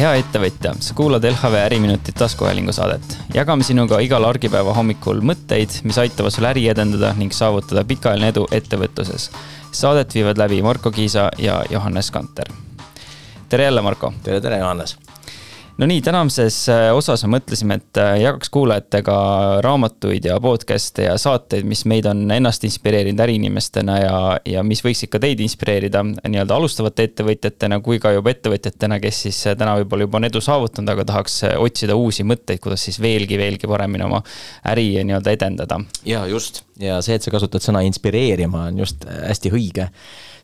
hea ettevõtja, sa kuulad LHV Äriminutit taskuhäälingu saadet. Jagame sinuga igal argipäeva hommikul mõtteid, mis aitavad sul äri edendada ning saavutada pikaajaline edu ettevõtluses. Saadet viivad läbi Marko Kiisa ja Johannes Kanter. Tere jälle, Marko! Tere, Johannes! No nii, tänamises osas mõtlesime, et jagaks kuulajatega raamatuid ja podcaste ja saateid, mis meid on ennast inspireerinud äriinimestena ja mis võiksid ka teid inspireerida nii-öelda alustavate ettevõtjatena kui ka juba ettevõtjatena, kes siis täna võib-olla juba on edu saavutanud, aga tahaks otsida uusi mõtteid, kuidas siis veelgi paremini oma äri nii-öelda edendada. Ja just, ja see, et sa kasutad sõna inspireerima, on just hästi õige.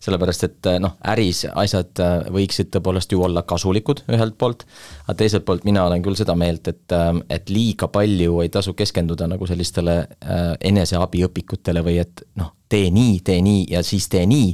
Sellepärast, et äris asjad võiksid tõepoolest ju olla kasulikud ühelt poolt, aga teiselt poolt mina olen küll seda meelt, et liiga palju ei tasu keskenduda nagu sellistele eneseabiõpikutele või et tee nii ja siis tee nii,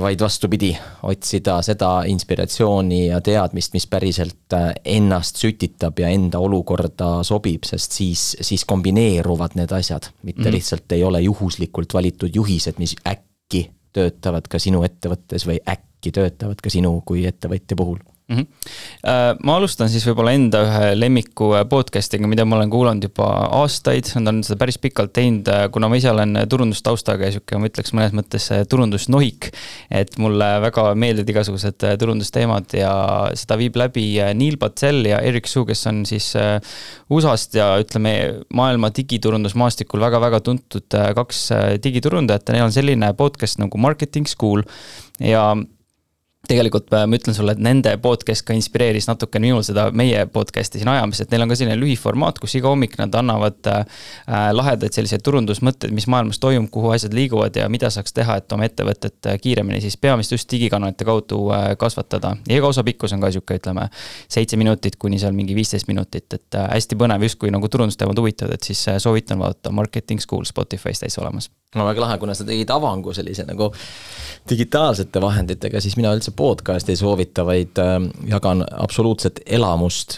vaid vastupidi, otsida seda inspiratsiooni ja teadmist, mis päriselt ennast sütitab ja enda olukorda sobib, sest siis kombineeruvad need asjad, mitte lihtsalt ei ole juhuslikult valitud juhised, mis äkki töötavad ka sinu ettevõttes või äkki töötavad ka sinu kui ettevõtja puhul. Ma alustan siis võib-olla enda ühe lemmiku podcastiga, mida ma olen kuulanud juba aastaid, nad on seda päris pikalt teinud, kuna ma ise olen turundustaustaga ja ma ütleks mõnes mõttes turundusnohik, et mulle väga meeldivad igasugused turundusteemad ja seda viib läbi Neil Patel ja Eric Su, kes on siis USA-st ja ütleme maailma digiturundusmaastikul väga tuntud kaks digiturundajat ja neil on selline podcast nagu Marketing School ja tegelikult ma ütlen sulle, et nende podcast ka inspireeris natuke minul seda meie podcasti siin ajamis, et neil on ka selline lühiformaat, kus iga hommik nad annavad lahedaid selliseid turundusmõtteid, mis maailmas toimub, kuhu asjad liiguvad ja mida saaks teha, et oma ettevõtet kiiremini siis peamist just digikanalite kaudu kasvatada. Ja iga osa pikkus on ka siuke, ütleme, 7 minutit kuni seal mingi 15 minutit, et hästi põnev just kui nagu turundusteemad huvitavad, et siis soovitan vaadata Marketing School Spotify's täis olemas. No väga lahe, kuna sa tegid avangu sellise nagu digitaalsete vahenditega, siis mina üldse podcast ei soovita, vaid jagan absoluutset elamust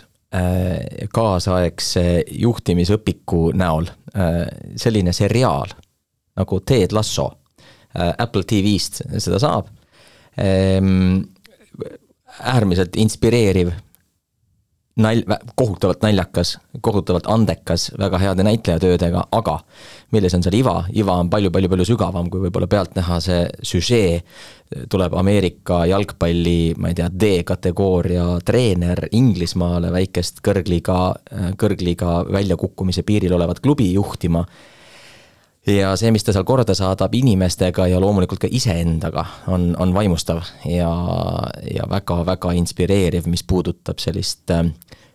kaasaegse juhtimisõpiku näol. Selline seriaal nagu Ted Lasso Apple TV-st seda saab. Äärmiselt inspireeriv, kohutavalt naljakas, kohutavalt andekas, väga heade näitlejatöödega, aga milles on seal iva? Iva on palju sügavam, kui võib-olla pealt näha see süžee. Tuleb Ameerika jalgpalli, ma ei tea, D-kategooria treener Inglismaale väikest kõrgliga väljakukkumise piiril olevat klubi juhtima. Ja see, mis ta seal korda saadab inimestega ja loomulikult ka iseendaga on vaimustav ja väga inspireeriv, mis puudutab sellist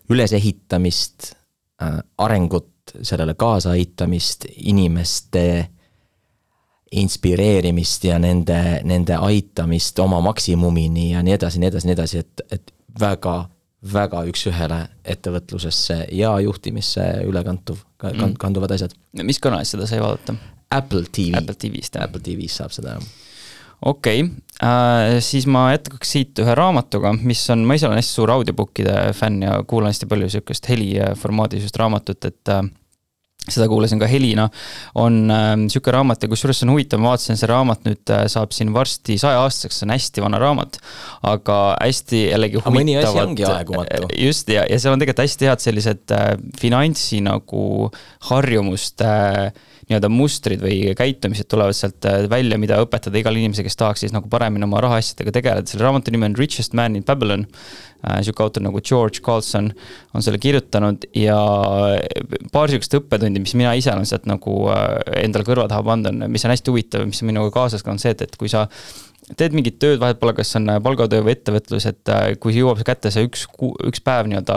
ülesehitamist, arengut, sellele kaasaaitamist, inimeste inspireerimist ja nende aitamist oma maksimumini ja nii edasi, et väga üks ühele ettevõtlusesse ja juhtimisse kanduvad asjad. Mis kanalis seda sai vaadata? Apple TV. Apple TV saab seda. Okei, siis ma jätkaks siit ühe raamatuga, mis on, ma ise olen hästi suur audiobookide fänn ja kuulan hästi palju sellist heliformaadis just raamatut, et seda kuulasin ka helina, on siuke raamat ja kusjuures on huvitav, ma vaatasin, see raamat nüüd saab siin varsti 100 aastaseks, see on hästi vana raamat, aga hästi jällegi huvitavad. Mõni asi ongi aegumatu. Just, ja seal on tegelikult hästi head sellised finantsi nagu harjumust nii-öelda mustrid või käitumised tulevad sealt välja, mida õpetada igal inimese, kes tahaks siis nagu paremini oma rahaasjadega tegeleda. Selle raamatu nimi on Richest Man in Babylon. Siuke autor nagu George Carlson on selle kirjutanud ja paar siukest õppetundi, mis mina ise olen sealt nagu endal kõrva taha pandud, mis on hästi huvitav, mis on minuga kaasas ka on see, et kui sa teed mingit tööd, vahet pole, kas on palgatöö või ettevõtlus, et kui jõuab kätte see üks päev nii-öelda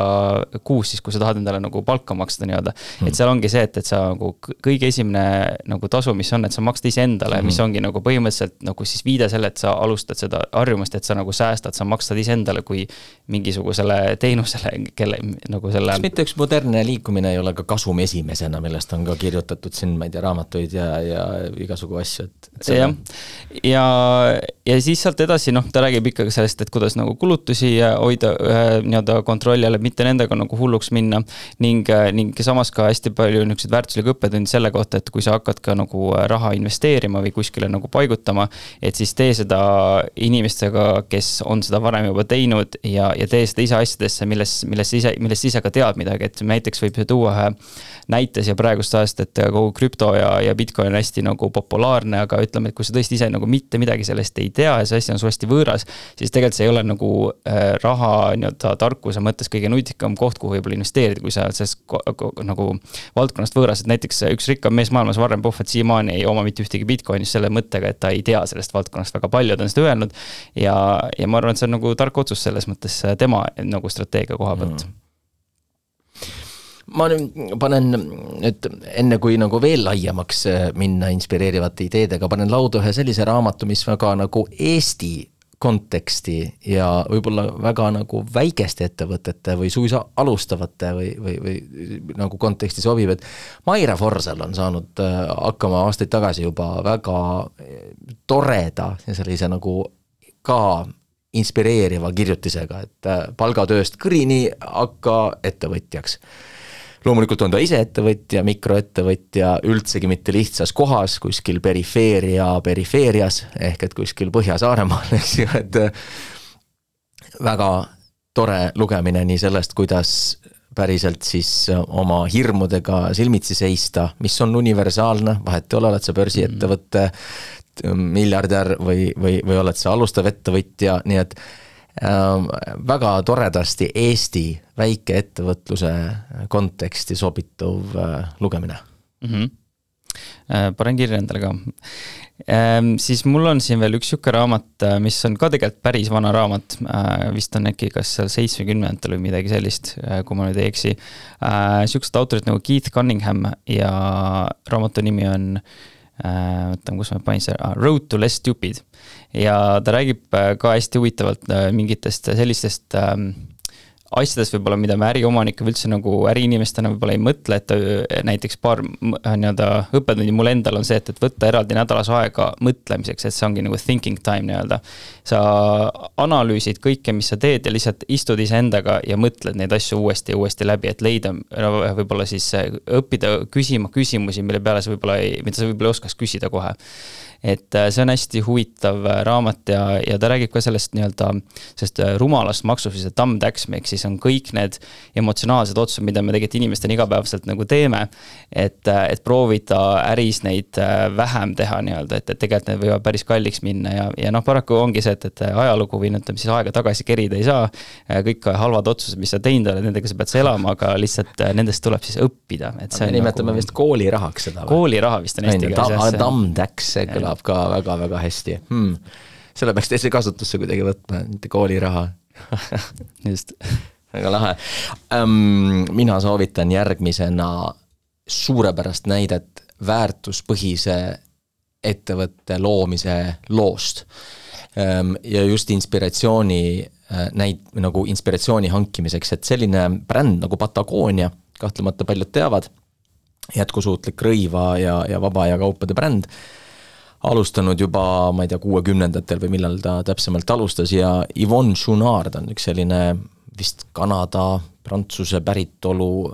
kuus, siis kui sa tahad endale nagu palka maksta nii-öelda, et seal ongi see, et sa nagu kõige esimene nagu tasu, mis on, et sa maksad ise endale, mis ongi nagu põhimõtteliselt nagu siis viide selle, et sa alustad seda harjumust, et sa nagu säästad, sa maksad ise endale kui mingisugusele teenusele, kelle nagu selle. Kas mitte üks modernne liikumine ei ole ka kasum esimesena, millest on ka kirjutatud siin, ma ei tea, raamatuid ja igasugu asju, ja ja siis sealt edasi, ta räägib ikkagi sellest, et kuidas nagu kulutusi hoida nii-öelda kontrolli all, et mitte nendega nagu hulluks minna ning samas ka hästi palju niisuguseid väärtuslikke õppetundi selle kohta, et kui sa hakkad ka nagu raha investeerima või kuskile nagu paigutama, et siis tee seda inimestega, kes on seda varem juba teinud ja tee seda ise asjadesse, millest ise ka tead midagi, et näiteks võib tuua ühe näite siia praegust ajast, et kogu krüpto ja Bitcoin on hästi nagu populaarne, aga ütleme, et kui sa tõesti ise nagu mitte midagi sellest ei tea ja see asi on su hästi võõras, siis tegelikult see ei ole nagu raha nii-öelda tarkuse mõttes kõige nutikam koht, kuhu võib-olla investeerida, kui sa sellest nagu valdkonnast võõras, et näiteks üks rikkam mees maailmas, Warren Buffett, siiamaani ei oma mitte ühtegi Bitcoinist selle mõttega, et ta ei tea sellest valdkonnast väga palju, ta on seda öelnud ja ma arvan, et see on nagu tark otsus selles mõttes tema nagu strateegia koha pealt. Ma panen nüüd enne kui nagu veel laiemaks minna inspireerivate ideedega, panen lauda ühe sellise raamatu, mis väga nagu Eesti konteksti ja võib-olla väga nagu väikeste ettevõtete või suisa alustavate või nagu konteksti sobib, et Maire Forsell on saanud hakkama aastaid tagasi juba väga toreda ja sellise nagu ka inspireeriva kirjutisega, et palgatööst kõrini hakka ettevõtjaks. Loomulikult on ta ise ettevõtja, mikroettevõtja, üldsegi mitte lihtsas kohas, kuskil perifeerias, ehk et kuskil Põhja-Saaremaal, eks ju, et väga tore lugemine nii sellest, kuidas päriselt siis oma hirmudega silmitsi seista, mis on universaalne, vahet ei ole, oled sa börsiettevõtte, miljardär või oled sa alustav ettevõtja, nii et väga toredasti Eesti väike ettevõtluse konteksti sobituv lugemine. Panen kirja endale ka. Siis mul on siin veel üks siuke raamat, mis on ka tegelikult päris vana raamat, vist on äkki kas seal 70-ndatel või midagi sellist, kui ma nüüd ei eksi. Siuksed autorid nagu Keith Cunningham ja raamatu nimi on kus ma panin see, Road to Less Stupid ja ta räägib ka hästi huvitavalt mingitest sellistest asjadest võib-olla, mida me äriomanikega üldse nagu äriinimestena võib-olla ei mõtle, et näiteks paar nii-öelda õppetundi mul endal on see, et võtta eraldi nädalas aega mõtlemiseks, et see ongi nagu thinking time nii-öelda. Sa analüüsid kõike, mis sa teed ja lihtsalt istud ise endaga ja mõtled neid asju uuesti läbi, et leida võib-olla siis õppida küsima küsimusi, mida sa võib-olla ei oskaks küsida kohe. Et see on hästi huvitav raamat ja ta räägib ka sellest nii-öelda rumalast maksufise dumb tax, ehk siis on kõik need emotsionaalsed otsused, mida me tegelikult inimestena igapäevaselt nagu teeme, et proovida äris neid vähem teha nii-öelda, et tegelikult need võivad päris kalliks minna ja paraku ongi see, et ajalugu või ütleme siis aega tagasi kerida ei saa, kõik halvad otsused, mis sa teinud oled, nendega sa pead elama, aga lihtsalt nendest tuleb siis õppida. Me nimetame nagu vist koolirahaks seda. Kooliraha vist on eesti keeles. Dumb tax, see kõlab ka väga-väga hästi. Selle peaks teise kasutusse kuidagi võtma, mitte kooliraha. Just. Väga lahe. Mina soovitan järgmisena suurepärast näidet väärtuspõhise ettevõtte loomise loost. Ja just inspiratsiooni hankimiseks, et selline bränd nagu Patagonia, kahtlemata paljud teavad, jätkusuutlik rõiva ja vaba ja kaupade bränd, alustanud juba, ma ei tea, 60-ndatel või millal ta täpsemalt alustas ja Yvon Chouinard on üks selline vist Kanada, Prantsuse päritolu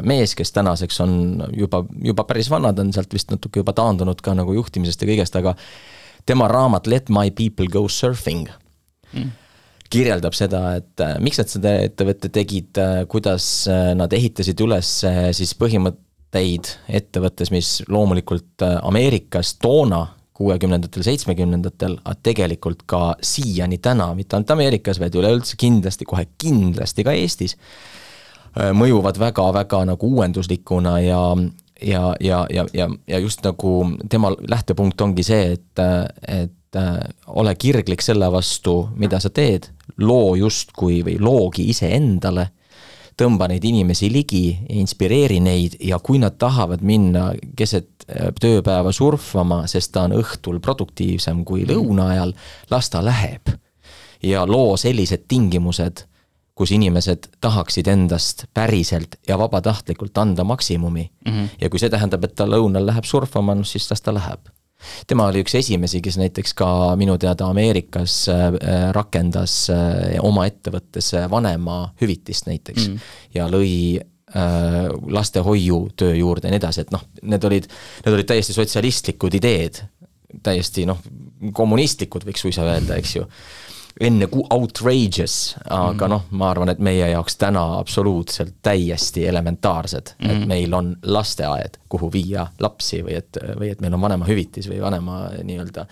mees, kes tänaseks on juba päris vanad, on sealt vist natuke juba taandunud ka nagu juhtimisest ja kõigest, aga tema raamat Let My People Go Surfing kirjeldab seda, et miks nad seda ettevõtte tegid, kuidas nad ehitasid üles siis põhimõtteid ettevõttes, mis loomulikult Ameerikas toona 60-ndatel, 70-ndatel, aga tegelikult ka siiani täna, mitte ainult Ameerikas, vaid üleüldse kohe kindlasti ka Eestis, mõjuvad väga-väga nagu uuenduslikuna ja just nagu tema lähtepunkt ongi see, et ole kirglik selle vastu, mida sa teed, loo justkui või loogi ise endale, tõmba neid inimesi ligi, inspireeri neid ja kui nad tahavad minna keset tööpäeva surfama, sest ta on õhtul produktiivsem kui lõuna ajal, las ta läheb. Ja loo sellised tingimused, kus inimesed tahaksid endast päriselt ja vabatahtlikult anda maksimumi. Ja kui see tähendab, et ta lõunal läheb surfama, siis las ta läheb. tema oli üks esimesi, kes näiteks ka minu teada Ameerikas rakendas oma ettevõttes vanema hüvitist näiteks ja lõi lastehoiu töö juurde ja nii edasi, et noh, need olid täiesti sotsialistlikud ideed, täiesti kommunistlikud võiks suisa öelda, eks ju. Enne outrageous, aga ma arvan, et meie jaoks täna absoluutselt täiesti elementaarsed, et meil on lasteaed, kuhu viia lapsi või et meil on vanema hüvitis või vanema nii-öelda,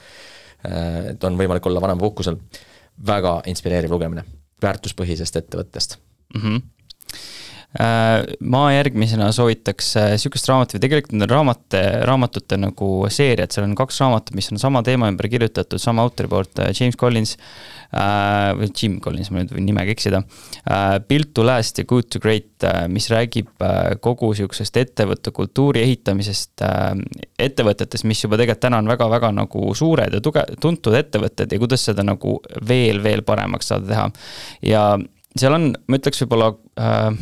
et on võimalik olla vanema puhkusel. Väga inspireeriv lugemine väärtuspõhisest ettevõttest. Ma järgmisena soovitaks sükest raamat või tegelikult need raamatute nagu seeriad, seal on 2 raamatut, mis on sama teema ümber kirjutatud, sama autori poolt, James Collins või Jim Collins, ma nüüd võin nimega eksida, Built to Last ja Good to Great, mis räägib kogu sükesest ettevõtte kultuuri ehitamisest ettevõtetest, mis juba tegelikult täna on väga-väga nagu suured ja tuntud ettevõtted ja kuidas seda nagu veel paremaks saada teha. Ja seal on, ma ütleks võib-olla,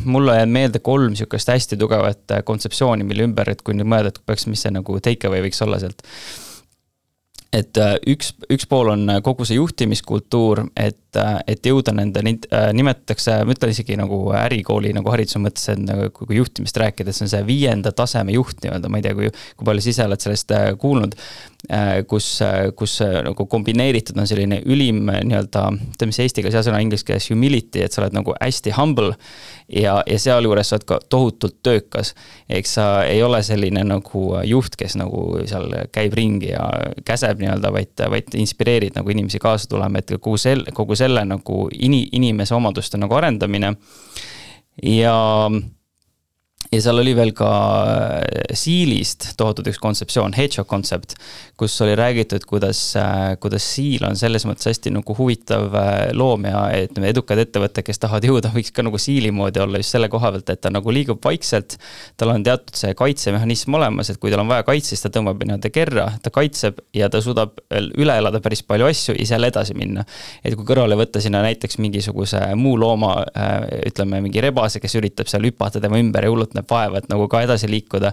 mulle jääb meelde 3 sükest hästi tugevat kontseptsiooni, mille ümber, et kui nüüd mõelda, et peaks, mis see nagu takeaway võiks olla sealt. Et üks pool on kogu see juhtimiskultuur, et jõuda nende, nimetatakse, ma ütlen isegi nagu ärikooli nagu hariduse mõttes, et kui juhtimist rääkida, see on see 5. taseme juht, ma ei tea, kui palju sa ise oled sellest kuulnud, kus nagu kombineeritud on selline ülim nii-öelda, mis eesti keeles sõna inglise keeles humility, et sa oled nagu hästi humble ja seal juures sa oled ka tohutult töökas. Eks sa ei ole selline nagu juht, kes nagu seal käib ringi ja käseb nii-öelda, vaid inspireerid nagu inimesi kaasa tulema, et kogu selle nagu inimese omaduste nagu arendamine ja seal oli veel ka siilist tohutud üks kontseptsioon, hedgehog konsept, kus oli räägitud, kuidas siil on selles mõttes hästi nagu huvitav loom ja et edukad ettevõtted, kes tahavad jõuda, võiks ka nagu siili moodi olla just selle koha pealt, et ta nagu liigub vaikselt, tal on teatud see kaitsemehhanism olemas, et kui tal on vaja kaitse, siis ta tõmbab nii-öelda kerra, ta kaitseb ja ta suudab üle elada päris palju asju ja seal edasi minna. Et kui kõrvale võtta sinna näiteks mingisuguse muu looma, ütleme mingi rebase, kes üritab seal hüpata tema ümber ja hullult vaeva, et nagu ka edasi liikuda,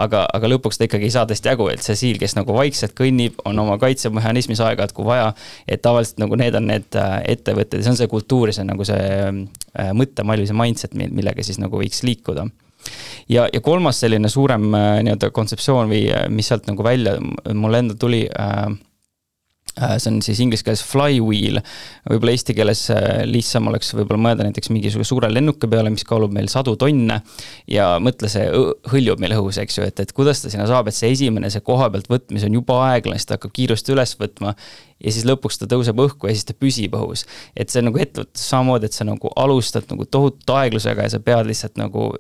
aga lõpuks ta ikkagi ei saa teist jagu, et see siil, kes nagu vaikselt kõnnib, on oma kaitsemehhanismis aega, et kui vaja, et tavaliselt nagu need on need ettevõtted, see on see kultuur, see on nagu see mõttemall või see mindset, millega siis nagu võiks liikuda. Ja 3. selline suurem nii-öelda kontseptsioon või mis sealt nagu välja mulle enda tuli, see on siis inglise keeles flywheel, võib-olla eesti keeles lihtsam oleks võib-olla mõelda näiteks mingisuguse suure lennuka peale, mis kaalub meil 100 tonne ja mõtle, see hõljub meil õhus, eks ju, et kuidas ta sinna saab, et see esimene, see koha pealt võtmis on juba aeglane, siis ta hakkab kiirust üles võtma ja siis lõpuks ta tõuseb õhku ja siis ta püsib õhus. Et see nagu ettevõttes samamoodi, et sa nagu alustad nagu tohutu aeglusega ja sa pead lihtsalt nagu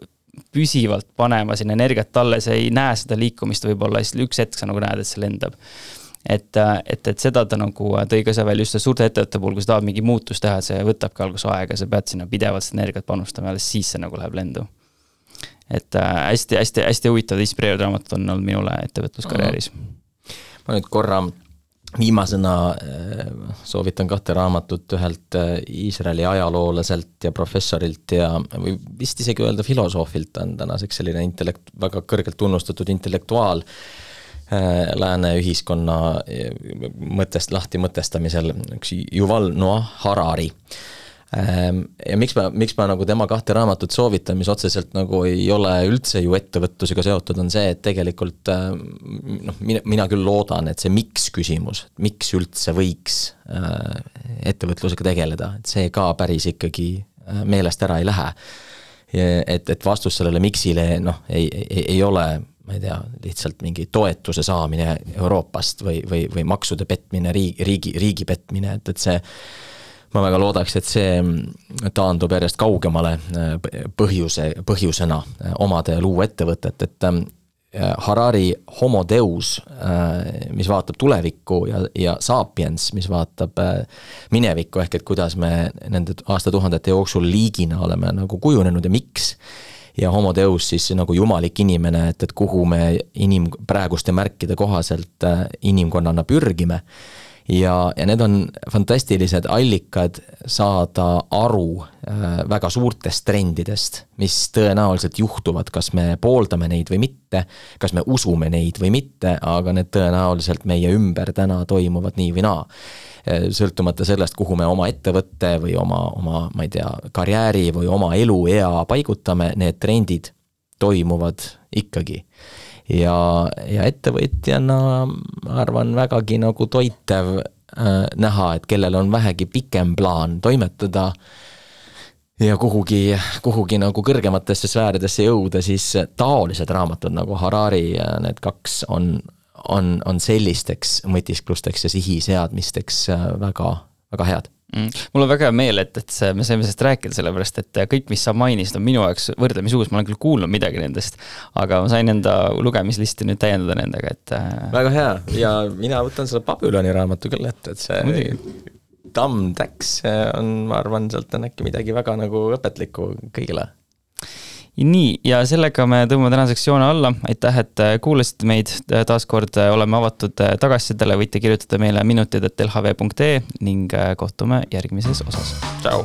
püsivalt panema sinna energiat talle, sa ei näe seda liikumist võib-olla, siis üks hetk sa nagu näed, et see lendab. Et seda ta nagu tõi ka see veel just suurte ettevõtte puhul, kui sa tahad mingi muutus teha, see võtabki alguse aega, sa pead sinna pidevalt energiat panustama ja siis see nagu läheb lendu. Et hästi huvitav inspireerivad raamatut on olnud minule ettevõtluskarjääris. Ma nüüd korra viimasena soovitan 2 raamatut ühelt Iisraeli ajaloolaselt ja professorilt ja või vist isegi öelda filosoofilt on tänaseks selline väga kõrgelt tunnustatud intellektuaal lääne ühiskonna lahti mõtestamisel, üks Yuval Noah Harari. Ja miks ma nagu tema 2 raamatut soovitan, mis otseselt nagu ei ole üldse ju ettevõtlusega seotud, on see, et tegelikult mina küll loodan, et see miks küsimus, miks üldse võiks ettevõtlusega tegeleda, et see ka päris ikkagi meelest ära ei lähe. Et vastus sellele miksile ei ole ma ei tea, lihtsalt mingi toetuse saamine Euroopast või maksude petmine, riigi petmine, et see, ma väga loodaks, et see taandub järjest kaugemale põhjusena omada ja luua ettevõtet, et Harari Homo Deus, mis vaatab tulevikku ja Sapiens, mis vaatab minevikku, ehk et kuidas me nende aastatuhandete jooksul liigina oleme nagu kujunenud ja miks, ja Homo Deus siis nagu jumalik inimene, et kuhu me praeguste märkide kohaselt inimkonnana pürgime. ja need on fantastilised allikad saada aru väga suurtest trendidest, mis tõenäoliselt juhtuvad, kas me pooldame neid või mitte, kas me usume neid või mitte, aga need tõenäoliselt meie ümber täna toimuvad nii või naa. Sõltumata sellest, kuhu me oma ettevõtte või oma, ma ei tea, karjääri või oma eluea paigutame, need trendid toimuvad ikkagi. Ja ettevõtjana ma arvan vägagi nagu toitev näha, et kellel on vähegi pikem plaan toimetada ja kuhugi nagu kõrgematesse sfääridesse jõuda, siis taolised raamatud nagu Harari ja need 2 on sellisteks mõtisklusteks ja sihiseadmisteks väga, väga head. Mul on väga hea meel, et me saime sellest rääkida, sellepärast, et kõik, mis sa mainisid, on minu jaoks võrdlemisi uus, ma olen küll kuulnud midagi nendest, aga ma sain enda lugemislisti nüüd täiendada nendega, et väga hea ja mina võtan selle Babyloni raamatu küll, et see Dumb Tax on, ma arvan, sealt on äkki midagi väga nagu õpetlikku kõigile. Nii, ja sellega me tõmbame tänaseks joone alla. Aitäh, et kuulasite meid. Taaskord oleme avatud tagasisidele, võite kirjutada meile minutid@lhv.ee ning kohtume järgmises osas. Ciao!